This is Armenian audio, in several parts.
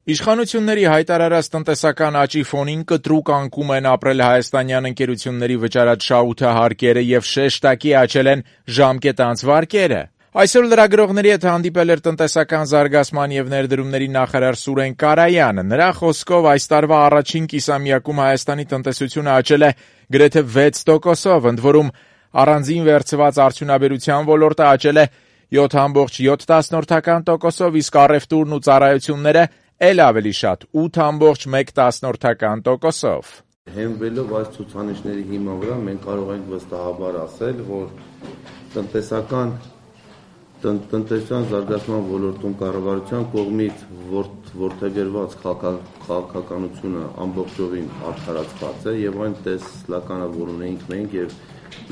Իշխանությունների հայտարարած տնտեսական աճի ֆոնին կտրուկ անկում են ապրել հայաստանյան ընկերությունների վճարած շահութահարկերը եւ շեշտակի աճել են ժամկետանց վարկերը։ Այսօր լրագրողների հետ հանդիպել էր տնտեսական զարգացման եւ ներդրումների նախարար Սուրեն Կարայանը։ Նրա խոսքով այս տարվա առաջին կիսամյակում Հայաստանի տնտեսությունը աճել է գրեթե 6%-ով, ընդ որում առանձին վերցված արդյունաբերության ոլորտը աճել է 7.7%-ով, իսկ առևտուրն ու ծառայությունները էլ ավելի շատ 8.1%-ով։ Հենվելով այս ցուցանիշների հիման վրա մենք կարող ենք վստահաբար ասել, որ տնտեսության զարգացման ոլորտում կառավարության կողմից որդեգրված քաղաքականությունը ամբողջովին արդարացված է եւ այն տեսլականավորում մենք եւ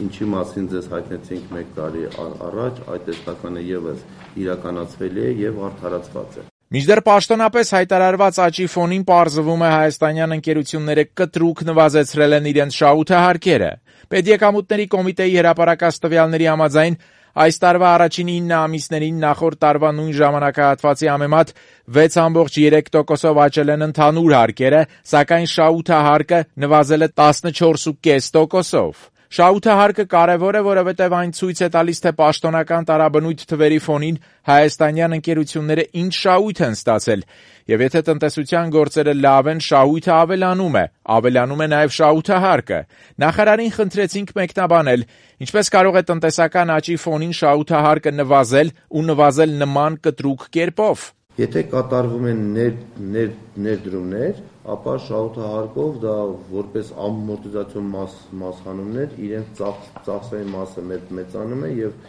ինչի մասին ձեզ հայտնեցինք 1 տարի առաջ, այդ տեսլականը եւս իրականացվել է եւ արդարացված է։ Մինչդեռ պաշտոնապես հայտարարված աճի ֆոնին պարզվում է հայաստանյան ընկերությունները կտրուկ նվազեցրել են իրենց շահութահարկերը։ Պետեկամուտների կոմիտեի հրապարակած տվյալների համաձայն այս տարվա առաջին 9 ամիսներին նախորդ տարվա նույն ժամանակահատվածի համեմատ 6.3%-ով աճել են ընդհանուր հարկերը, սակայն շահութահարկը նվազել է 14.5%-ով։ Շահութահարկը կարևոր է, որովհետև այն ցույց է տալիս, թե պաշտոնական տարաբնույթ թվերի ֆոնին հայաստանյան ընկերությունները ինչ շահույթ են ստացել, եւ եթե տնտեսության գործերը լավ են, շահույթը ավելանում է նաեւ շահութահարկը։ Նախարարին խնդրեցինք մեկնաբանել, ինչպես կարող է տնտեսական աճի ֆոնին շահութահարկը նվազել ու նվազել նման կտրուկ կերպով։ Եթե կատարվում են ներդրումներ, ապա շահութահարկով դա որպես ամորտիզացիոն մասհանումներ իրենց ծախսային մասը մեծանում է եւ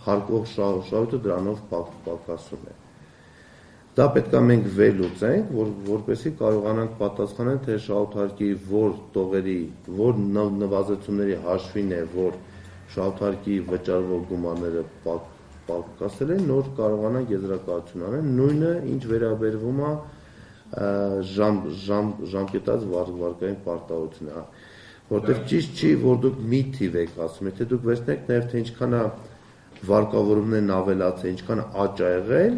հարկող շահույթը դրանով պակասում է։ Դա պետք է մենք վերլուծենք, որպեսզի կարողանանք պատասխանել, թե շահութարկի որ տողերի, որ նվազեցումների հաշվին է, որ շահութարկի վճարվող գումարները պակասել են, նոր կարողանանք եզրակացություն անել, նույնը ինչ վերաբերվում է ժամկետած վարկային պարտավորությունը, որտեղ ճիշտ չի, որ դուք մի թիվ եք ասում, եթե դուք վերցնեք նաև թե ինչքան է վարկավորումներն ավելացել, ինչքան աճ ա եղել,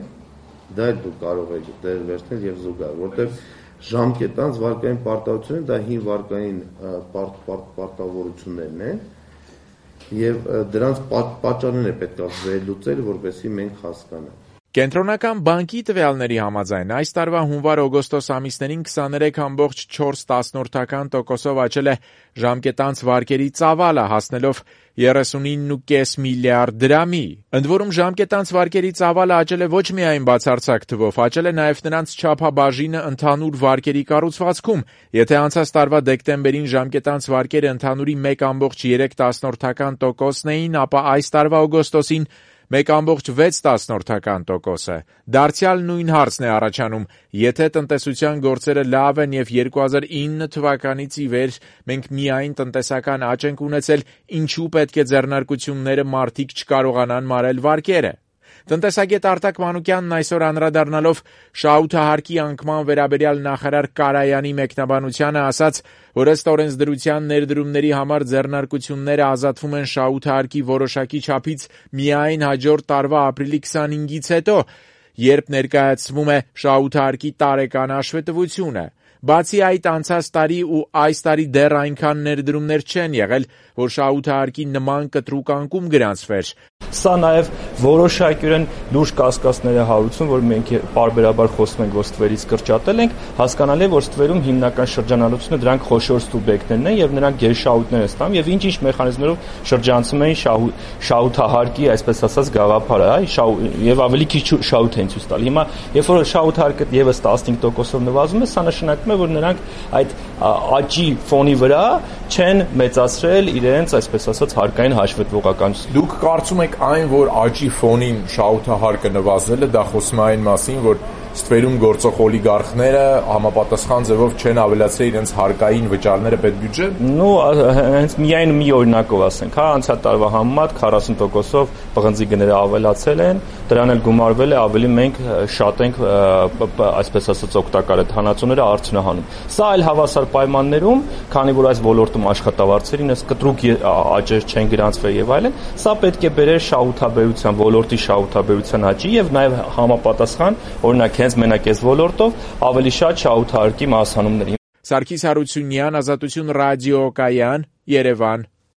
դա էլ դուք կարող եք վերցնել եւ զուգահեռ, որտեղ ժամկետած վարկային պարտավորությունը դա հին վարկային պարտավորություններն են եւ դրանց պատճառներն է պետք է վերլուծել, որպեսզի մենք հասկանանք։ Կենտրոնական բանկի տվյալների համաձայն այս տարվա հունվար-օգոստոս ամիսներին 23.4%-ով աճել է ժամկետանց վարկերի ծավալը, հասնելով 39.5 միլիարդ դրամի։ Ընդ որում ժամկետանց վարկերի ծավալը աճել է ոչ միայն բացարձակ թվով, աճել է նաև նրանց չափաբաժինը ընդհանուր վարկերի կառուցվածքում։ Եթե անցած տարվա դեկտեմբերին ժամկետանց վարկերը ընդհանուրի 1.3%-ն էին, ապա այս տարվա օգոստոսին 1.6%-ը։ Դարձյալ նույն հարցն է առաջանում, եթե տնտեսության գործերը լավ են եւ 2009 թվականից ի վեր մենք միայն տնտեսական աճ ենք ունեցել, ինչու պետք է ձեռնարկությունները մարդիկ չկարողանան մարել վարկերը։ Տնտեսագետ Արտակ Մանուկյանն այսօր անդրադառնալով շահութահարկի անկման վերաբերյալ նախարար Կարայանի մեկնաբանությանը ասաց, որ ըստ օրենսդրության ներդրումների համար ձեռնարկությունները ազատվում են շահութահարկի որոշակի չափից միայն հաջորդ տարվա ապրիլի 25-ից հետո, երբ ներկայացվում է շահութահարկի տարեկան հաշվետվությունը։ Բացի այդ, անցած տարի ու այս տարի դեռ այնքան ներդրումներ չեն եղել, որ շահութահարկի նման կտրուկ անկում գրանցվեր։ Սա նաև որոշակիորեն լուրջ կասկածներ է հարուցում, որ մենք պարբերաբար խոսում ենք, որ ստվերից կրճատել ենք, հասկանալի է, որ ստվերում հիմնական շրջանառությունը դրանք խոշոր սուբյեկտներն են եւ նրանք գերշահույթներ են ստանում եւ ինչ-ինչ մեխանիզմներով շրջանցում են շահութահարկի, այսպես ասած, գաղափարը, եւ ավելի քիչ շահույթ են ցույց տալի։ Հիմա, երբ որ շահութահարկը եւս 15%-ով նվազում է, սա նշանակում է, որ նրանք այդ աճի ֆոնի վրա չեն մեծացրել իրենց, այսպես ասած, հարկային հաշվետվողականությունը։ Դուք կարծում եք այն, որ աճի ֆոնին շահութահարկը նվազել է, դա խոսում է այն մասին, որ ստվերում գործող օլիգարխները համապատասխան ձևով չեն ավելացրել իրենց հարկային վճարները պետբյուջե։ Հենց միայն մի օրինակով ասենք, անցյալ տարվա համեմատ 40%-ով պղնձի գները ավելացել են, դրան էլ գումարվել է ավելի մենք շատ ենք, այսպես ասած, օգտակար այդ հանածոները արդյունահանում։ Սա այլ հավասար պայմաններում, քանի որ այս ոլորտում աշխատավարձերին այս կտրուկ աճեր չեն գրանցվել եւ այլն, սա պետք է բերեր շահութաբերության, ոլորտի շահութաբերության աճի եւ նաեւ համապատասխան, օրինակ հենց մենակ այս ոլորտով ավելի շատ շահութահարկի մասհանումների։ Սարգիս Հարությունյան, Ազատություն ռադիոկայան, Երևան։